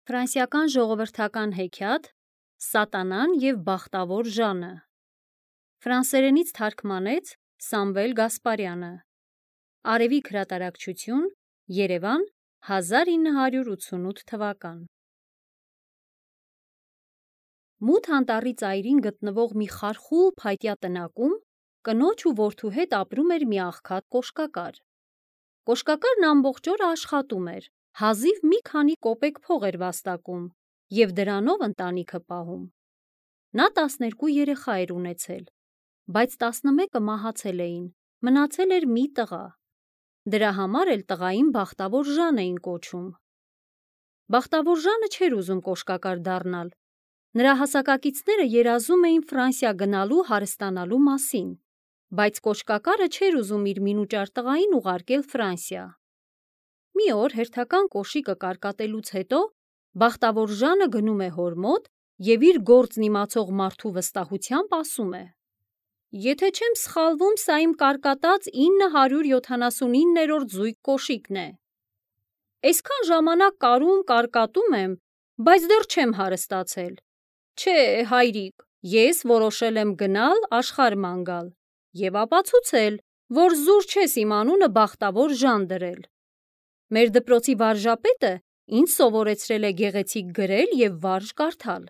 Ֆրանսիական ժողովրդական հեքիաթ «Սատանան և բախտավոր Ժանը» ֆրանսերենից թարգմանեց Սամվել Գասպարյանը։ Արևիկ հրատարակչություն, Երևան, 1988 թվական։ Մութ անտառի ծայրին գտնվող մի խարխուլ փայտյա տնակում կնոջ ու որդու հետ ապրում էր մի աղքատ կոշկակար։ Կոշկակարն ամբողջ օրը աշխատում էր, հազիվ մի քանի կոպեկ փող էր վաստակում և դրանով ընտանիքը պահում։ Նա 12 երեխա էր ունեցել, բայց 11-ը մահացել էին, մնացել էր մի տղա։ Դրա համար էլ տղային բախտավոր Ժան էին կոչում։ Բախտավոր Ժանը չէր ուզում կոշկակար դառնալ։ Նրա հասակակիցները երազում էին Ֆրանսիա գնալու հարստանալու մասին, բայց կոշկակարը չէր ուզում իր մինուճար տղային ուղարկել Ֆրանսիա։ Մի օր հերթական կոշիկը կարկատելուց հետո բախտավոր Ժանը գնում է հոր մոտ և իր գործն իմացող մարդու վստահությամբ ասում է. «Եթե չեմ սխալվում, սա իմ կարկատած 979-րդ զույգ կոշիկն է։ Այսքան ժամանակ կարկատում եմ, բայց դեռ չեմ հարստացել։ Չէ, հայրիկ, ես որոշել եմ գնալ աշխարհ գալ և ապացուցել, որ զուր չես իմ անունը բախտավոր Ժան դրել։ Մեր դպրոցի վարժապետը ինձ սովորեցրել է գեղեցիկ գրել և վարժ կարդալ։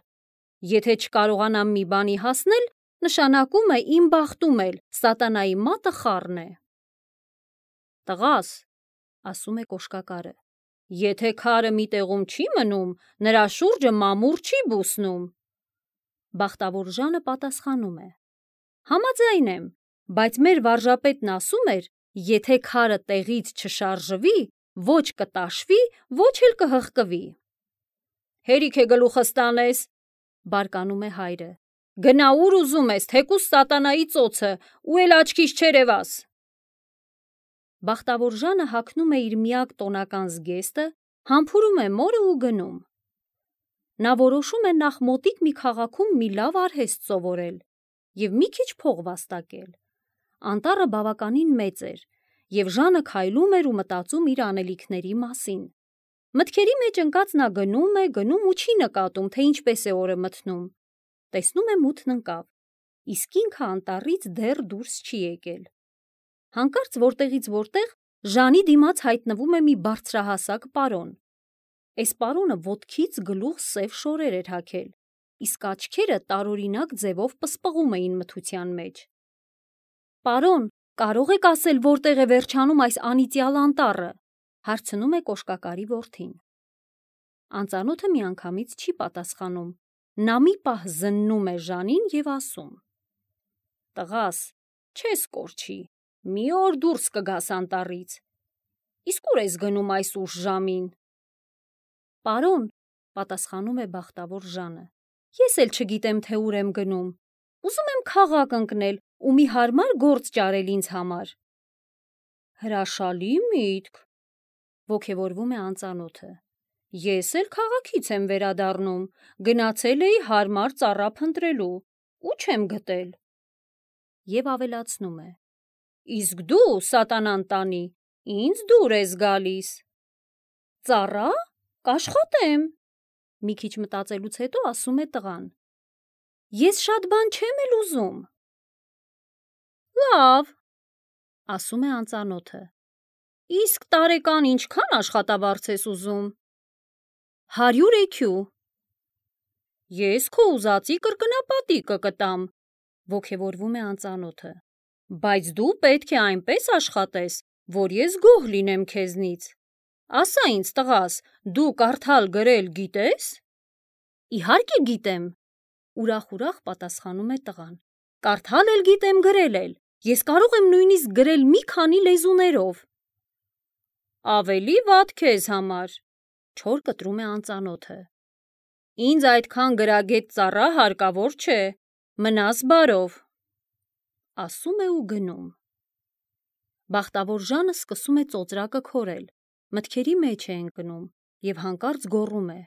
Եթե չկարողանամ մի բանի հասնել, նշանակում է իմ բախտում էլ սատանայի մատը խառն է»։ «Տղաս», ասում է կոշկակարը, «եթե քարը մի տեղում չի մնում, նրա շուրջը մամուռ չի բուսնում»։ Բախտավոր Ժանը պատասխանում է. «Համաձայն եմ, բայց մեր վարժապետն ասում էր, եթե քարը տեղից չշարժվի, ոչ կտաշվի, ոչ էլ կհղկվի»։ «Հերիք է գլուխս տանես», բարկանում է հայրը, «գնա ուր ուզում ես, թեկուզ սատանայի ծոցը, ու էլ աչքիս չերևաս»։ Բախտավոր Ժանը հագնում է իր միակ տոնական զգեստը, համբուրում է մորը ու գնում։ Նա որոշում է նախ մոտիկ մի քաղաքում մի լավ արհեստ սովորել և մի քիչ փող վաստակել։ Անտառը բավականին մեծ էր, և Ժանը քայլում էր ու մտածում իր անելիքների մասին։ Մտքերի մեջ ընկած նա գնում ու չի նկատում, թե ինչպես է օրը մթնում։ Տեսնում է մութն ընկավ, իսկ ինքը անտառից դեռ դուրս չի եկել։ Հանկարծ որտեղից որտեղ Ժանի դիմաց հայտնվում է մի բարձրահասակ պարոն։ Այս պարոնը ոտքից գլուխ սև շորեր էր հագել, իսկ աչքերը տարօրինակ ձևով պսպղում էին մթության մեջ։ «Պարոն, կարող եք ասել որտեղ է վերջանում այս անիծյալ անտառը», հարցնում է կոշկակարի որդին։ Անծանոթը միանգամից չի պատասխանում, նա մի պահ զննում է Ժանին և ասում. «Տղաս, չես կորչի, մի օր դուրս կգաս անտառից։ Իսկ ուր ես գնում այս ուշ ժամին»։ «Պարոն», պատասխանում է բախտավոր Ժանը, «ես էլ չգիտեմ, թե ուր եմ գնում։ Ուզում եմ քաղաք ընկնել ու մի հարմար գործ ճարել ինձ համար»։ «Հրաշալի միտք», ոգևորվում է անծանոթը, «ես էլ քաղաքից եմ վերադառնում, գնացել էի հարմար ծառա փնտրելու ու չեմ գտել»։ Եվ ավելացնում է. «Իսկ դու, սատանան տանի, ինձ դուր ես գալիս»։ «Ծառա՞, կաշխատեմ», մի քիչ մտածելուց հետո ասում է տղան, «ես շատ բան չեմ էլ ուզում»։ «Լավ», ասում է անծանոթը, «իսկ տարեկան ինչքան աշխատավարձ ես ուզում»։ 100 էքյու։ «Ես քո ուզածի կրկնապատիկը կտամ», ոգևորվում է անծանոթը, «բայց դու պետք է այնպես աշխատես, որ ես գոհ լինեմ քեզնից։ Ասա ինձ, տղաս, դու կարդալ գրել գիտե՞ս»։ «Իհարկե գիտեմ», ուրախ պատասխանում է տղան, «կարդալ էլ գիտեմ, գրել էլ, ես կարող եմ նույնիսկ գրել մի քանի լեզուներով»։ «Ավելի վատ քեզ համար», չոր կտրում է անծանոթը, «ինձ այդքան գրագետ ծառա հարկավոր չէ, մնաս բարով», ասում է ու գնում։ Բախտավոր Ժանը սկսում է ծոծրակը քորել, մտքերի մեջ է ընկնում և հանկարծ գոռում է.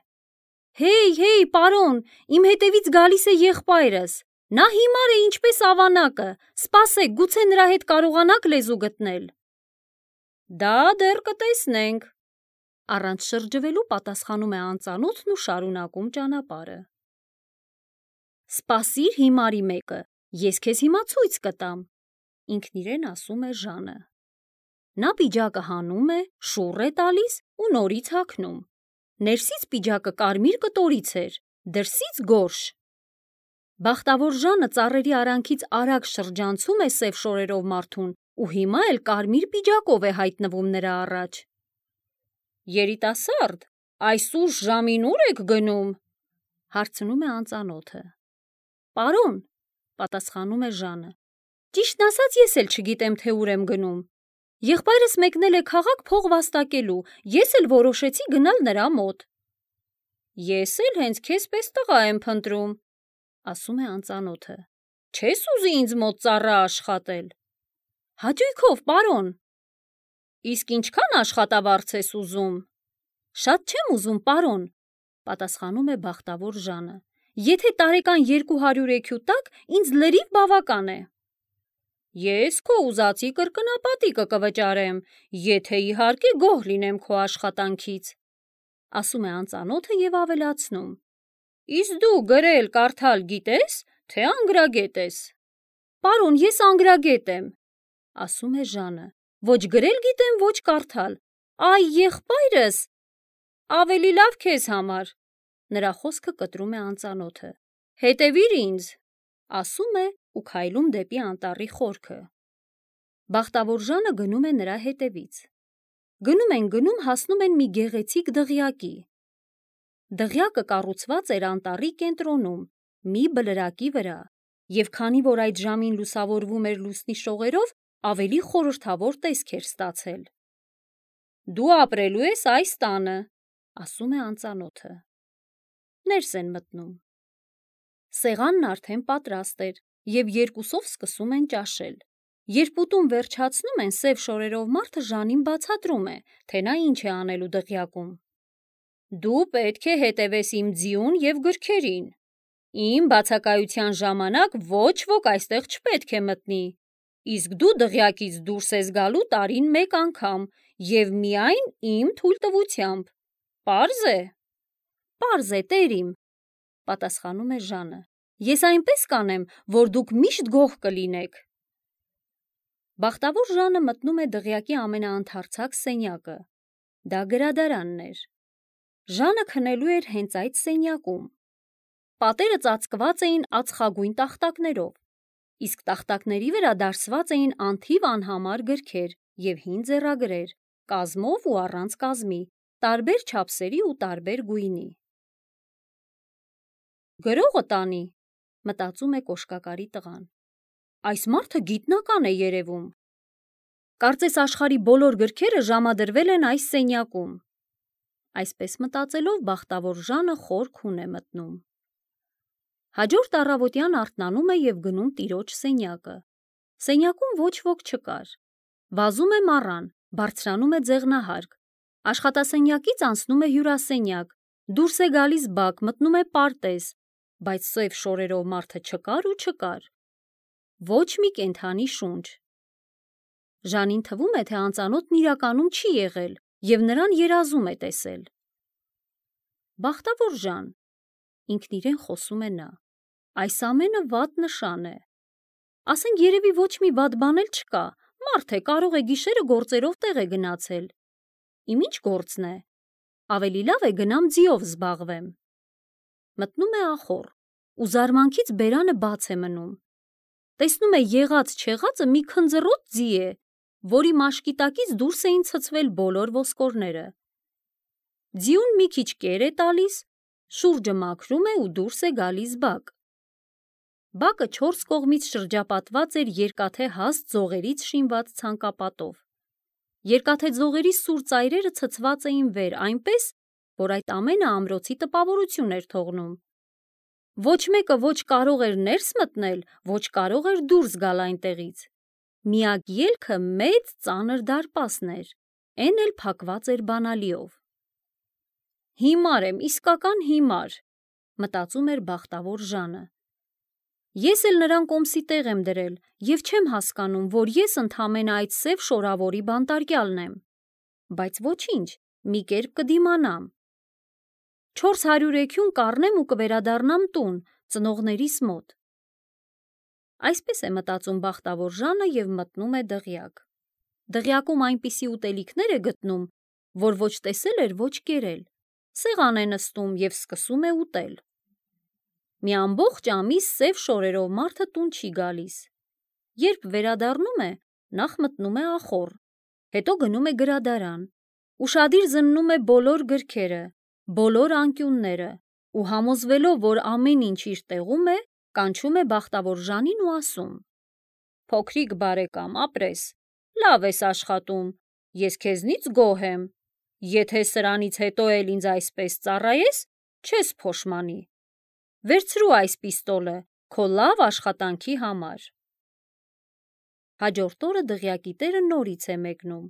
«Հեյ, պարոն, իմ հետևից գալիս է եղբայրս, նա հիմար է ինչպես ավանակը, սպասեք, գուցե նրա հետ կարողանաք լեզու գտնել»։ «Դա դեռ կտեսնենք», Առանց շրջվելու պատասխանում է անծանոթն ու շարունակում ճանապարհը։ Սպասիր հիմարի մեկը, ես քեզ հիմա ցույց կտամ, ինքն իրեն ասում է Ժանը։ Նա պիջակը հանում է, շուռ է տալիս ու նորից հագնում։ Ներսից պիջակը կարմիր կտորից էր, դրսից գորշ։ Բախտավոր Ժանը ծառերի արանքից արագ շրջանցում է սև շորերով մարդուն ու հիմա էլ կարմիր պիջակով է հայտնվում նրա առաջ։ Երիտասարդ, այս ուշ ժամին ուր եք գնում, հարցնում է անծանոթը։ Պարոն, պատասխանում է Ժանը, ճիշտն ասած ես էլ չգիտեմ, թե ուր եմ գնում։ Եղբայրս մեկնել է քաղաք փող վաստակելու, ես էլ որոշեցի գնալ նրա մոտ։ Ես էլ հենց քեզ պես տղա եմ փնտրում, ասում է անծանոթը։ Չես ուզի ինձ մոտ ծառա աշխատել։ Հաճույքով, պարոն։ Իսկ ինչքան աշխատավարձ ես ուզում։ Շատ չեմ ուզում, պարոն, պատասխանում է բախտավոր Ժանը։ Եթե տարեկան 200 էքու տակ, ինձ լրիվ բավական է։ Ես քո ուզածի կրկնապատիկը կվճարեմ, եթե իհարկե գոհ լինեմ քո աշխատանքից, ասում է անծանոթը և ավելացնում. Իսկ դու գրել կարդալ գիտես, թե անգրագետ ես։ Պարոն, ես անգրագետ եմ, ասում է Ժանը, ոչ գրել գիտեմ, ոչ կարդալ։ Այ եղբայրս, ավելի լավ քեզ համար, նրա խոսքը կտրում է անծանոթը։ Հետևիր ինձ, ասում է ու քայլում դեպի անտառի խորքը։ Բախտավոր Ժանը գնում է նրա հետևից։ Գնում, հասնում են մի գեղեցիկ դղյակի։ Դղյակը կառուցված էր անտառի կենտրոնում, մի բլրակի վրա, և քանի որ այդ ժամին լուսավորվում էր լուսնի շողերով, ավելի խորհրդավոր տեսք էր ստացել։ Դու ապրելու ես այս տանը, ասում է անծանոթը։ Ներս են մտնում։ Սեղանն արդեն պատրաստ էր, և երկուսով սկսում են ճաշել։ Երբ ուտում վերջացնում են, սև շորերով մարդը Ժանին բացատրում է, թե նա ինչ է անելու դղյակում։ Դու պետք է հետևես իմ ձիուն և գրքերին։ Իմ բացակայության ժամանակ ոչ ոք այստեղ չպետք է մտնի, իսկ դու դղյակից դուրս ես գալու տարին մեկ անգամ և միայն իմ թույլտվությամբ։ Պարզ է։ Պարզ է, տեր իմ, պատասխանում է Ժանը։ Ես այնպես կանեմ, որ դուք միշտ գոհ կլինեք։ Բախտավոր Ժանը մտնում է դղյակի ամենաընդարձակ սենյակը։ Դա գրադարանն էր։ Ժանը քնելու էր հենց այդ սենյակում։ Պատերը ծածկված էին ածխագույն տախտակներով, իսկ տախտակների վրա դարսված էին անթիվ անհամար գրքեր և հին ձեռագրեր, կազմով ու առանց կազմի, տարբեր չափսերի ու տարբեր գույնի։ Գրողը տանի, մտածում է կոշկակարի տղան։ Այս մարդը գիտնական է երևում։ Կարծես աշխարհի բոլոր գրքերը ժամադրվել են այս սենյակում։ Այսպես մտածելով բախտավոր Ժանը խոր քուն է մտնում։ Հաջորդ առավոտյան արթնանում է և գնում տիրոջ սենյակը։ Սենյակում ոչ ոք չկար։ Վազում է մառան, բարձրանում է ձեղնահարկ։ Աշխատասենյակից անցնում է հյուրասենյակ, դուրս է գալիս բակ, մտնում է պարտեզ, բայց սև շորերով մարդը չկար ու չկար։ Ոչ մի կենդանի շունչ։ Ժանին թվում է, թե անծանոթն իրականում չի եղել և նրան երազում է տեսել։ Բախտավոր Ժան, ինքն իրեն խոսում է նա, այս ամենը վատ նշան է։ Ասենք երևի ոչ մի վատ բան էլ չկա, մարդ է, կարող է գիշերը գործերով տեղ է գնացել։ Իմ ինչ գործն է, ավելի լավ է գնամ ձիով զբաղվեմ։ Մտնում է ախոռ, ու զարմանքից բերանը բաց է մնում։ Տեսնում է եղած-չեղածը մի քնձռոտ ձի է, որի մաշկի տակից դուրս էին ցցվել բոլոր ոսկորները։ Ձիուն մի քիչ կեր է տալիս, շուրջը մաքրում է ու դուրս է գալիս բակ։ Բակը 4 կողմից շրջապատված էր երկաթե հաստ ձողերից շինված ցանկապատով։ Երկաթե ձողերի սուր ծայրերը ցցված էին վեր այնպես, որ այդ ամենը ամրոցի տպավորություն էր թողնում։ Ոչ մեկը ոչ կարող էր ներս մտնել, ոչ կարող էր դուրս գալ այնտեղից։ Միակ ելքը մեծ ծանր դարպասն էր, էն էլ փակված էր բանալիով։ Հիմար եմ, իսկական հիմար, մտածում էր բախտավոր Ժանը։ Ես էլ նրան կոմսի տեղ եմ դրել և չեմ հասկանում, որ ես ընդամենը այդ սև շորավորի բանտարկյալն եմ։ Բայց ոչինչ, մի կերպ կդիմանամ։ 400 էքյուն կառնեմ ու կվերադառնամ տուն, ծնողներիս մոտ։ Այսպես է մտածում բախտավոր Ժանը և մտնում է դղյակ։ Դղյակում այնպիսի ուտելիքներ է գտնում, որ ոչ տեսել էր, ոչ կերել։ Սեղան է նստում և սկսում է ուտել։ Մի ամբողջ ամիս սև շորերով մարդը տուն չի գալիս։ Երբ վերադառնում է, նախ մտնում է ախոռ, հետո գնում է գրադարան, ուշադիր զննում է բոլոր գրքերը, բոլոր անկյունները ու համոզվելով, որ ամեն ինչ իր տեղում է, կանչում է բախտավոր Ժանին ու ասում. «Փոքրիկ բարեկամ, ապրես, լավ ես աշխատում, ես քեզնից գոհ եմ, եթե սրանից հետո էլ ինձ այսպես ծառայես, չես փոշմանի, վերցրու այս պիստոլը քո լավ աշխատանքի համար»։ Հաջորդ օրը դղյակի տերը նորից է մեկնում,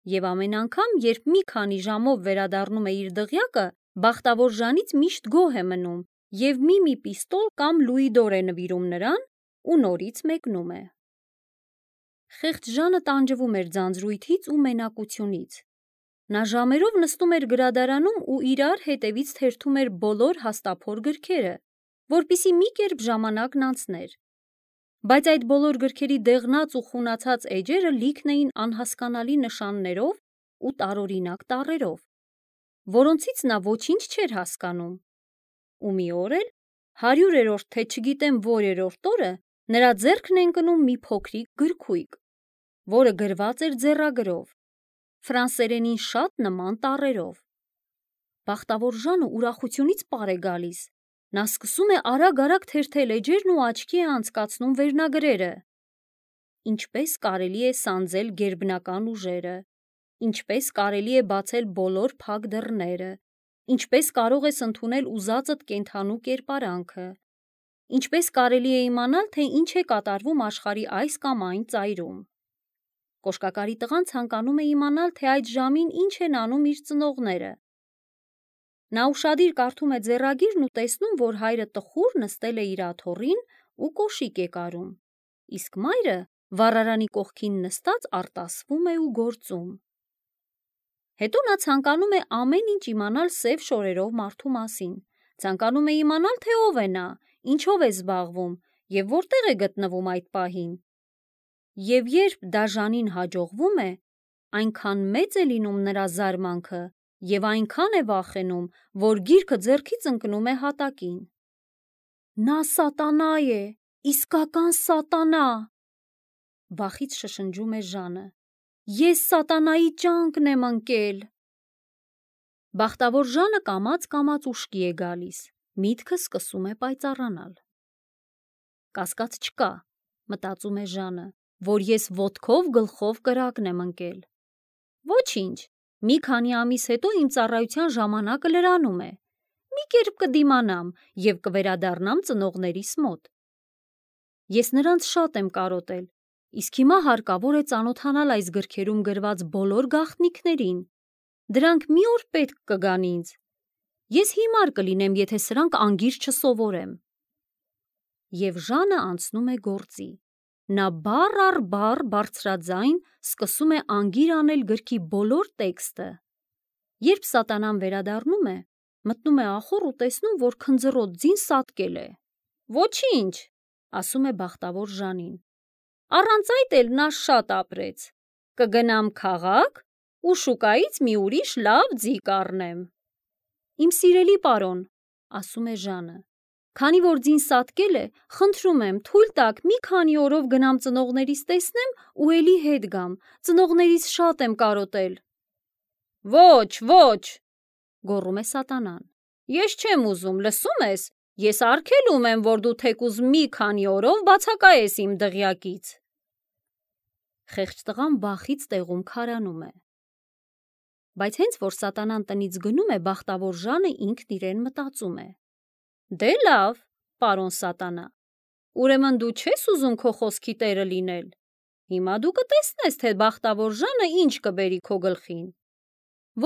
և ամեն անգամ, երբ մի քանի ժամով վերադառնում է իր դղյակը, բախտավոր Ժանից միշտ գոհ է մնում և մի պիստոլ կամ լուիդոր է նվիրում նրան ու նորից մեկնում է։ Խեղճ Ժանը տանջվում էր ձանձրույթից ու մենակությունից։ Նա ժամերով նստում էր գրադարանում ու իրար հետևից թերթում էր բոլոր հաստափոր գրքերը, որպեսզի մի կերպ ժամանակն անցներ։ Բայց այդ բոլոր գրքերի դեղնած ու խունացած էջերը լիքն էին անհասկանալի նշաններով ու տարօրինակ տառերով, որոնցից նա ոչինչ չէր հասկանում։ Ու մի օր էլ, 100-րդ թե չգիտեմ որերորդ օրը, նրա ձեռքն է ընկնում մի փոքրիկ գրքույկ, որը գրված էր ձեռագրով, ֆրանսերենին շատ նման տառերով։ Բախտավոր Ժանը ուրախությունից պար է գալիս։ Նա սկսում է արագ-արագ թերթել էջերն ու աչքի է անցկացնում վերնագրերը. ինչպես կարելի է սանձել գերբնական ուժերը, ինչպես կարելի է բացել բոլոր փակ դռները, ինչպես կարող ես ընդունել ուզածդ կենդանու կերպարանքը, ինչպես կարելի է իմանալ, թե ինչ է կատարվում աշխարհի այս կամ այն ծայրում։ Կոշկակարի տղան ցանկանում է իմանալ, թե այդ ժամին ինչ են անում իր ծնողները։ Նա ուշադիր կարդում է ձեռագիրն ու տեսնում, որ հայրը տխուր նստել է իր աթոռին ու կոշիկ է կարում, իսկ մայրը վառարանի կողքին նստած արտասվում է ու գործում։ Հետո նա ցանկանում է ամեն ինչ իմանալ սև շորերով մարդու մասին, ցանկանում է իմանալ, թե ով է նա, ինչով է զբաղվում և որտեղ է գտնվում այդ պահին։ Եվ երբ դա Ժանին հաջողվում է, այնքան մեծ է լինում նրա զարմանքը և այնքան է վախենում, որ գիրքը ձեռքից ընկնում է հատակին։ Նա սատանա է, իսկական սատանա, վախից շշնջում է Ժանը։ Ես սատանայի ճանկն եմ ընկել։ Բախտավոր Ժանը կամաց-կամաց ուշքի է գալիս, միտքը սկսում է պայծառանալ։ Կասկած չկա, մտածում է Ժանը, որ ես ոտքով գլխով կրակն եմ ընկել։ Ոչինչ, մի քանի ամիս հետո իմ ծառայության ժամանակը լրանում է, մի կերպ կդիմանամ և կվերադառնամ ծնողներիս մոտ։ Ես նրանց շատ եմ կարոտել, իսկ հիմա հարկավոր է ծանոթանալ այս գրքերում գրված բոլոր գաղտնիքներին։ Դրանք մի օր պետք կգան ինձ։ Ես հիմար կլինեմ, եթե սրանք անգիր չսովորեմ։ Եվ Ժանը անցնում է գործի։ Նա բառ առ բառ բարձրաձայն սկսում է անգիր անել գրքի բոլոր տեքստը։ Երբ սատանան վերադառնում է, մտնում է ախոռ ու տեսնում, որ քնձռոտ ձին սատկել է։ Ոչինչ, ասում է բախտավոր Ժանին։ Առանց այդ էլ նա շատ ապրեց։ Կգնամ քաղաք ու շուկայից մի ուրիշ լավ ձի կառնեմ։ Իմ սիրելի պարոն, ասում է Ժանը, քանի որ ձին սատկել է, խնդրում եմ, թույլ տաք մի քանի օրով գնամ ծնողներիս տեսնեմ ու էլի հետ գամ, ծնողներիս շատ եմ կարոտել։ Ոչ, ոչ, գոռում է սատանան։ Ես չեմ ուզում, լսում ես, ես արգելում եմ, որ դու թեկուզ մի քանի օրով բացակայես իմ դղյակից։ Խեղճ տղան վախից տեղում քարանում է։ Բայց հենց որ սատանան տնից գնում է, բախտավոր Ժանը ինքն իրեն մտածում է. Դե լավ, պարոն սատանա, ուրեմն դու չես ուզում քո խոսքի տերը լինել։ Հիմա դու կտեսնես, թե բախտավոր Ժանը ինչ կբերի քո գլխին։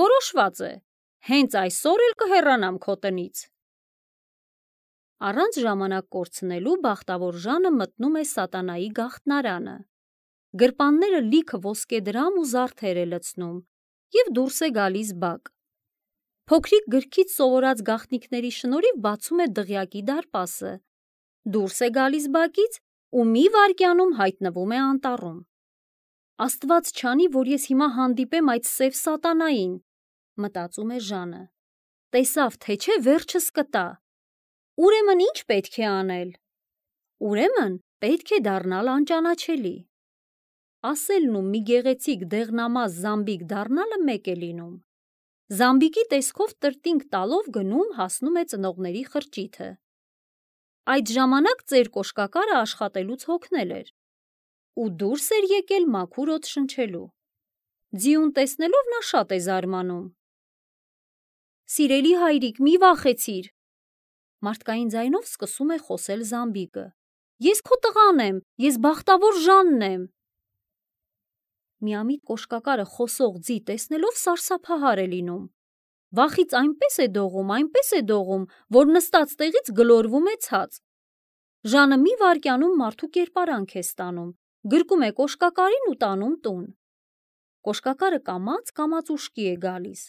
Որոշված է, հենց այսօր էլ կհեռանամ քո տնից։ Առանց ժամանակ կորցնելու բախտավոր Ժանը մտնում է սատանայի գաղտնարանը։ Գրպանները լիքը ոսկեդրամ ու զարդեր է լցնում և դուրս է գալիս բակ։ Փոքրիկ գրքից սովորած գաղտնիքների շնորհիվ բացում է դղյակի դարպասը, դուրս է գալիս բակից ու մի վայրկյանում հայտնվում է անտառում։ Աստված չանի, որ ես հիմա հանդիպեմ այդ սև սատանային, մտածում է Ժանը։ Տեսավ, թե չէ վերջս կտա։ Ուրեմն ինչ պետք է անել։ Ուրեմն պետք է դառնալ անճանաչելի։ Ասելն ու մի գեղեցիկ դեղնամաս զամբիկ դառնալը մեկ է լինում։ Զամբիկի տեսքով տրտինգ տալով գնում հասնում է ծնողների խրճիթը։ Այդ ժամանակ ծեր կոշկակարը աշխատելուց հոգնել էր ու դուրս էր եկել մաքուր օդ շնչելու։ Ձիուն տեսնելով նա շատ է զարմանում։ Սիրելի հայրիկ, մի վախեցիր։ Մարդկային ձայնով սկսում է խոսել զամբիկը։ Ես քո տղան եմ, ես բախտավոր Ժանն եմ։ Միամիտ կոշկակարը խոսող ձի տեսնելով սարսափահար է լինում։ Վախից այնպես է դողում, որ նստած տեղից գլորվում է ցած։ Ժանը մի վայրկյանում մարդու կերպարանք է ստանում, գրկում է կոշկակարին ու տանում տուն։ Կոշկակարը կամաց ուշքի է գալիս։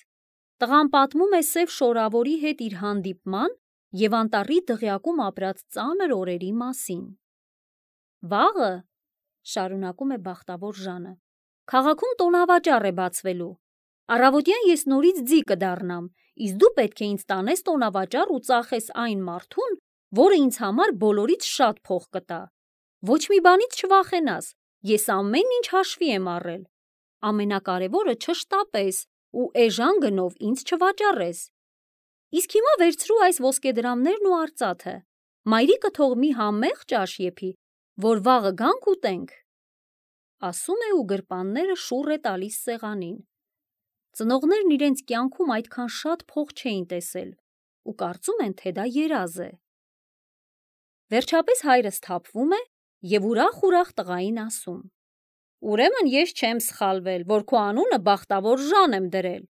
Տղան պատմում է սև շորավորի հետ իր հանդիպման և անտառի դղյակում ապրած ծանր օրերի մասին։ Վաղը, շարունակում է բախտավոր Ժանը, քաղաքում տոնավաճառ է բացվելու։ Առավոտյան ես նորից ձի կդառնամ, իսկ դու պետք է ինձ տանես տոնավաճառ ու ծախես այն մարդուն, որը ինձ համար բոլորից շատ փող կտա։ Ոչ մի բանից չվախենաս, ես ամեն ինչ հաշվի եմ առել։ Ամենակարևորը չշտապես ու էժան գնով ինձ չվաճառես։ Իսկ հիմա վերցրու այս ոսկեդրամներն ու արծաթը։ Մայրիկը թող մի համեղ ճաշ եփի, որ վաղը գանք ուտենք։ Ասում է ու գրպանները շուռ է տալիս սեղանին։ Ծնողներն իրենց կյանքում այդքան շատ փող չէին տեսել ու կարծում են, թե դա երազ է։ Վերջապես հայրը սթափվում է և ուրախ տղային ասում. Ուրեմն ես չեմ սխալվել, որ քո անունը բախտավոր Ժան եմ դրել։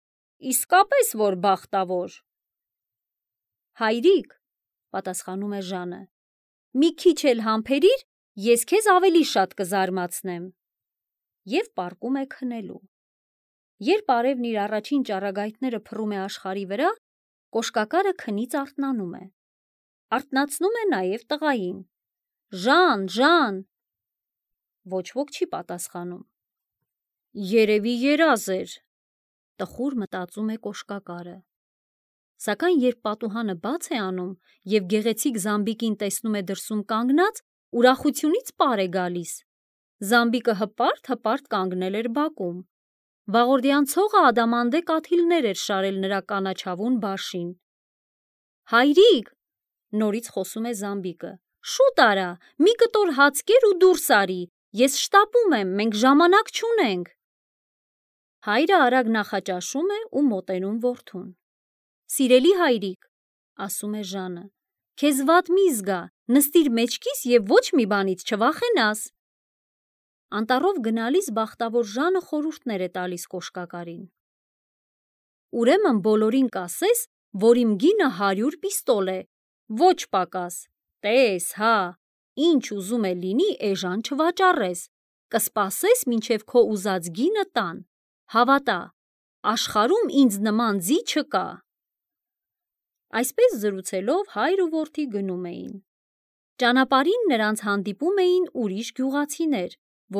Իսկապես որ բախտավոր։ Հայրիկ, պատասխանում է Ժանը, մի քիչ էլ համբերիր, ես քեզ ավելի շատ կզարմացնեմ։ Եվ պառկում է քնելու։ Երբ արևն իր առաջին ճառագայթները փռում է աշխարհի վրա, կոշկակարը քնից արթնանում է։ Արթնացնում է նաև տղային։ Ժան։ Ոչ ոք չի պատասխանում։ Երևի երազ էր, տխուր մտածում է կոշկակարը։ Սակայն երբ պատուհանը բաց է անում և գեղեցիկ զամբիկին տեսնում է դրսում կանգնած, ուրախությունից պար է գալիս։ Զամբիկը հպարտ կանգնել էր բակում։ Վաղորդյան ցողը ադամանդե կաթիլներ էր շարել նրա կանաչավուն բաշին։ Հայրիկ, նորից խոսում է զամբիկը, շուտ արա, մի կտոր հաց կեր ու դուրս արի, ես շտապում եմ, մենք ժամանակ չունենք։ Հայրը արագ նախաճաշում է ու մոտենում որդուն։ Սիրելի հայրիկ, ասում է Ժանը, քեզ վատ մի զգա, նստիր մեջքիս և ոչ մի բանից չվախենաս։ Անտառով գնալիս բախտավոր Ժանը խորհուրդներ է տալիս կոշկակարին։ Ուրեմն բոլորին կասես, որ իմ գինը 100 պիստոլ է, ոչ պակաս, տես, հա, ինչ ուզում է լինի էժան չվաճառես, կսպասես մինչև քո ուզած գինը տան, հավատա, աշխարհում ինձ նման ձի չկա։ Այսպես զրուցելով հայր ու որդի գնում էին։ Ճանապարհին նրանց հանդիպում էին ուրիշ գյուղացիներ,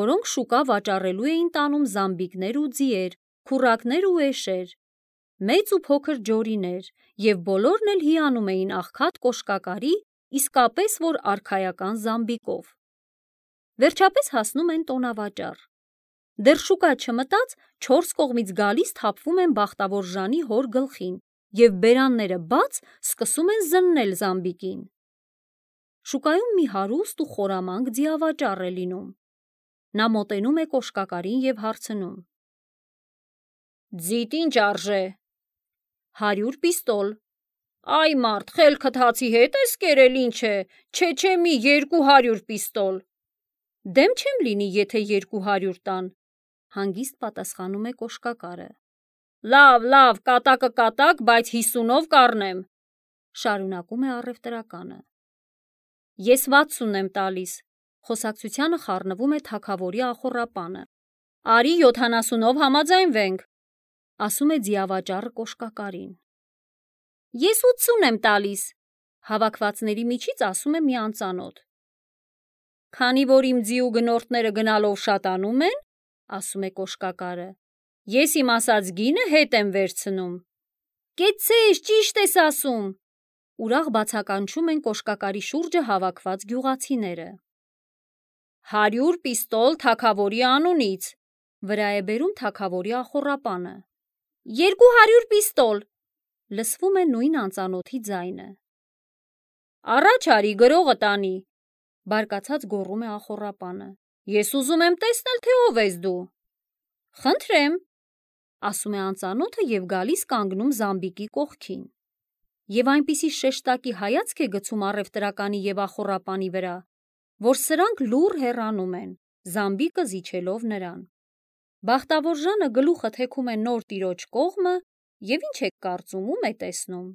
որոնք շուկա վաճառելու էին տանում զամբիկներ ու ձիեր, քուռակներ ու էշեր, մեծ ու փոքր ջորիներ, և բոլորն էլ հիանում էին աղքատ կոշկակարի, իսկապես որ արքայական զամբիկով։ Վերջապես հասնում են տոնավաճառ։ Դեռ շուկա չմտած, 4 կողմից գալիս թափվում են բախտավոր Ժանի հոր գլխին և բերանները բաց սկսում են զննել զամբիկին։ Շուկայում մի հարուստ ու խորամանկ ձիավաճառ է լինում։ Նա մոտենում է կոշկակարին և հարցնում. Ձիտ ինչ արժե։ 100 պիստոլ։ Այ մարդ, խելքդ հացի հետ ես կերել, ինչ է, չէ, մի 200 պիստոլ։ Դեմ չեմ լինի, եթե 200 տան, հանգիստ պատասխանում է կոշկակարը։ Լավ, կատակը կատակ, բայց 50-ով կառնեմ, շարունակում է առևտրականը։ Ես 60 եմ տալիս, խոսակցությանը խառնվում է թագավորի ախոռապանը։ Արի 70-ով համաձայնվենք։ ասում է ձիավաճառը կոշկակարին։ Ես 80 եմ տալիս, հավաքվածների միջից ասում է մի անծանոթ։ Քանի որ իմ ձիու գնորդները գնալով շատանում են, ասում է կոշկակարը, ես իմ ասած գինը հետ եմ վերցնում։ Կեցցես, ճիշտ ես ասում, ուրախ բացականչում են կոշկակարի շուրջը հավաքված գյուղացիները։ 100 պիստոլ թագավորի անունից, վրա է բերում թագավորի ախոռապանը։ 200 պիստոլ, լսվում է նույն անծանոթի ձայնը։ Առաջ արի գրողը տանի, բարկացած գոռում է ախոռապանը։ Ես ուզում եմ տեսնել, թե ով ես դու։ Խնդրեմ, ասում է անծանոթը և գալիս կանգնում Զամբիկի կողքին։ Եվ այնպիսի շեշտակի հայացք է գցում առևտրականի և ախոռապանի վրա, որ սրանք լուռ հեռանում են, Զամբիկը զիջելով նրան։ Բախտավոր Ժանը գլուխը թեքում է նոր տիրոջ կողմը և ինչ եք կարծում, ում է տեսնում։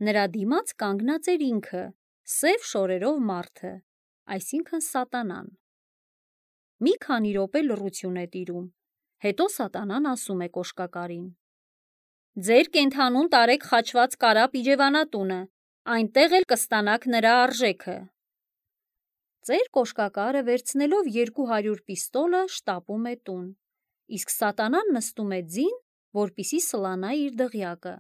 Նրա դիմաց կանգնած էր ինքը, սև շորերով մարդը, այսինքն Սատանան։ Մի քանի րոպե լռություն է տիրում, հետո Սատանան ասում է կոշկակարին. Ձեր կենդանուն տարեք խաչված կարապ իջևանատունը, այնտեղ էլ կստանաք նրա արժեքը։ Ծեր կոշկակարը վերցնելով 200 պիստոլը շտապում է տուն, իսկ Սատանան նստում է ձին, որպեսզի սլանա իր դղյակը։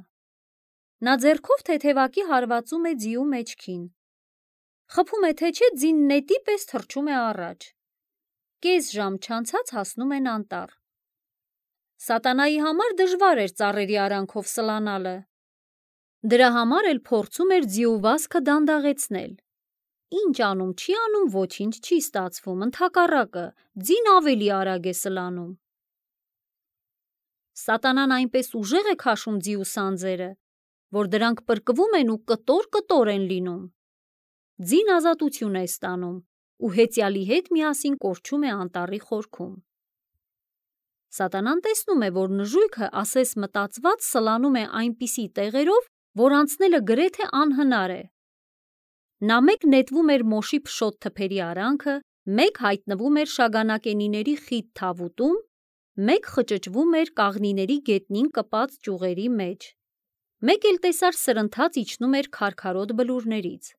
Նա ձեռքով թեթևակի հարվածում է ձիու մեջքին։ Խփում է թե չէ ձին նետի պես թռչում է առաջ։ Կես ժամ չանցած հասնում են անտառ։ Սատանայի համար դժվար էր ծառերի արանքով սլանալը։ Դրա համար էլ փորձում էր ձիու վազքը դանդաղեցնել։ Ինչ անում, չի անում, ոչինչ չի ստացվում, ընդհակառակը, ձին ավելի արագ է սլանում։ Սատանան այնպես ուժեղ է քաշում ձիու սանձերը, որ դրանք պրկվում են ու կտոր են լինում։ Ձին ազատություն է ստանում ու հեծյալի հետ միասին կորչում է անտառի խորքում։ Սատանան տեսնում է, որ նժույգը ասես մտածված սլանում է այնպիսի տեղերով, որ անցնելը գրեթե անհնար է։ Նա մեկ նետվում էր մոշի փշոտ թփերի արանքը, մեկ հայտնվում էր շագանակենիների խիտ թավուտում, մեկ խճճվում էր կաղնիների գետնին կպած ճյուղերի մեջ, մեկ էլ տեսար սրընթաց իջնում էր քարքարոտ բլուրներից։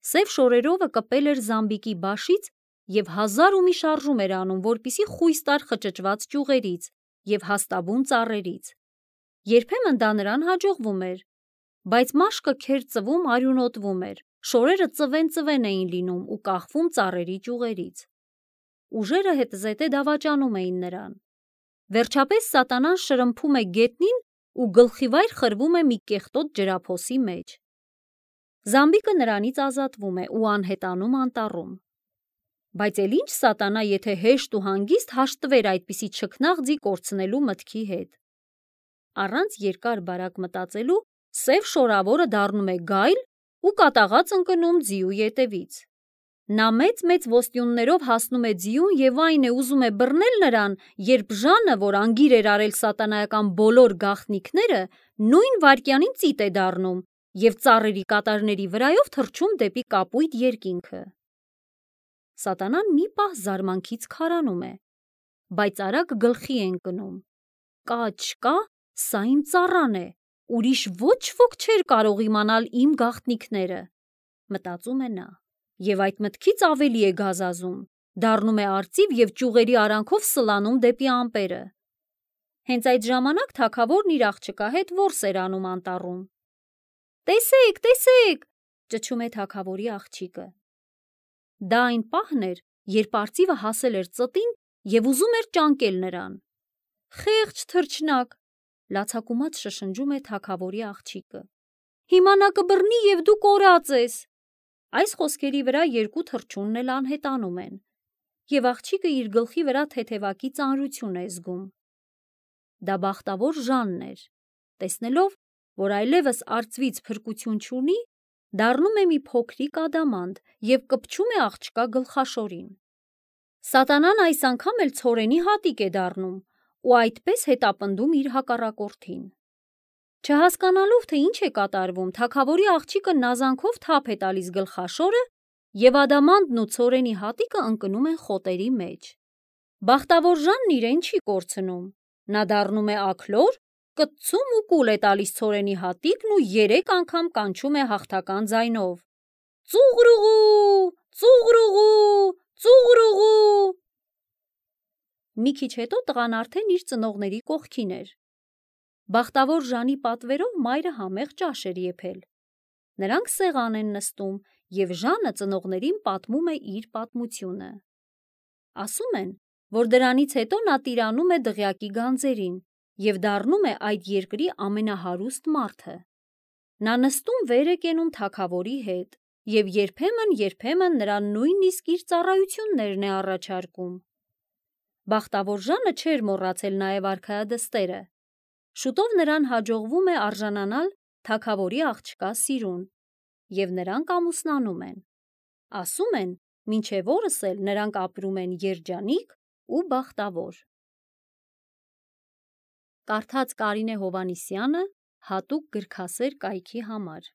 Սև շորերովը կպել էր Զամբիկի բաշից և 1000 ու մի շարժում էր անում, որպեսզի խույս տար խճճված ճյուղերից և հաստաբուն ծառերից։ Երբեմն դա նրան հաջողվում էր, բայց մաշկը քեր ծվում արյունոտվում էր, շորերը ծվեն էին լինում ու կախվում ծառերի ճյուղերից։ Ուժերը հետզհետե դավաճանում էին նրան։ Վերջապես Սատանան շրմփում է գետնին ու գլխիվայր խրվում է մի կեղտոտ ջրափոսի մեջ։ Զամբիկը նրանից ազատվում է ու անհետանում անտառում։ Բայց էլ ինչ Սատանա, եթե հեշտ ու հանգիստ հաշտվեր այդպիսի չքնաղ ձի կորցնելու մտքի հետ։ Առանց երկար բարակ մտածելու սև շորավորը դառնում է գայլ ու կատաղած ընկնում ձիու ետևից։ Նա մեծ ոստյուններով հասնում է ձիուն և այն է ուզում է բռնել նրան, երբ Ժանը, որ անգիր էր արել սատանայական բոլոր գաղտնիքները, նույն վայրկյանին ծիտ է դառնում և ծառերի կատարների վրայով թռչում դեպի կապույտ երկինքը։ Սատանան մի պահ զարմանքից քարանում է, բայց արագ գլխի է ընկնում. կա չկա, սա իմ ծառան է, ուրիշ ոչ ոք չէր կարող իմանալ իմ գաղտնիքները, մտածում է նա, և այդ մտքից ավելի է գազազում, դառնում է արծիվ և ճյուղերի արանքով սլանում դեպի ամպերը։ Հենց այդ ժամանակ թագավորն իր աղջկա հետ որս էր անում անտառում։ Տեսեք, տեսեք, ճչում է թագավորի աղջիկը։ Դա այն պահն էր, երբ արծիվը հասել էր ծտին և ուզում էր ճանկել նրան։ Խեղճ թռչնակ, լացակումած շշնջում է թագավորի աղջիկը։ Հիմա նա կբռնի և դու կորած ես։ Այս խոսքերի վրա երկու թռչունն էլ անհետանում են, և աղջիկը իր գլխի վրա թեթևակի ծանրություն է զգում։ Դա բախտավոր Ժանն էր, տեսնելով, որ այլևս արծվից փրկություն չունի, դառնում է մի փոքրիկ ադամանդ և կպչում է աղջկա գլխաշորին։ Սատանան այս անգամ էլ ցորենի հատիկ է դառնում ու այդպես հետապնդում իր հակառակորդին։ Չհասկանալով, թե ինչ է կատարվում, թագավորի աղջիկը նազանքով թափ է տալիս գլխաշորը և ադամանդն ու ցորենի հատիկը ընկնում են խոտերի մեջ։ Բախտավոր Ժանն իրեն չի կորցնում, Նա դառնում է աքլոր, կծում ու կուլ է տալիս ցորենի հատիկն ու 3 անգամ կանչում է հաղթական ձայնով. «Ծուղրուղու, ծուղրուղու, ծուղրուղու»։ Մի քիչ հետո տղան արդեն իր ծնողների կողքին էր։ Բախտավոր Ժանի պատվերով մայրը համեղ ճաշ էր եփել։ Նրանք սեղան են նստում, և Ժանը ծնողներին պատմում է իր պատմությունը։ Ասում են, որ դրանից հետո նա տիրանում է դղյակի գանձերին և դառնում է այդ երկրի ամենահարուստ մարդը։ Նա նստում վեր է կենում թագավորի հետ և երբեմն նրան նույնիսկ իր ծառայություններն է առաջարկում։ Բախտավոր Ժանը չէր մոռացել նաև արքայադստերը։ Շուտով նրան հաջողվում է արժանանալ թագավորի աղջկա սիրուն, և նրանք ամուսնանում են։ Ասում են, մինչև օրս էլ նրանք ապրում են երջանիկ ու բախտավոր։ Կարդաց Կարինե Հովհաննիսյանը հատուկ գրքասեր կայքի համար։